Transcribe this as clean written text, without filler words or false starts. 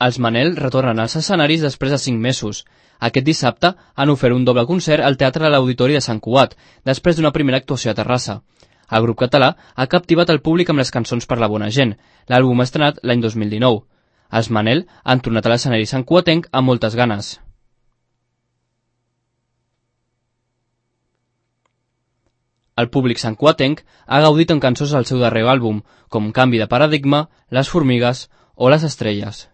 Els Manel retornen als escenaris després de 5 mesos. Aquest dissabte han ofert un doble concert al Teatre de l'Auditori de Sant Cugat, després d'una primera actuació a Terrassa. El grup català ha captivat el públic amb les cançons per la bona gent. L'àlbum estrenat l'any 2019. Els Manel han tornat a l'escenari santcugatenc amb moltes ganes. El públic santcugatenc ha gaudit amb cançons del seu darrer àlbum, com Canvi de paradigma, Les formigues o Les estrelles.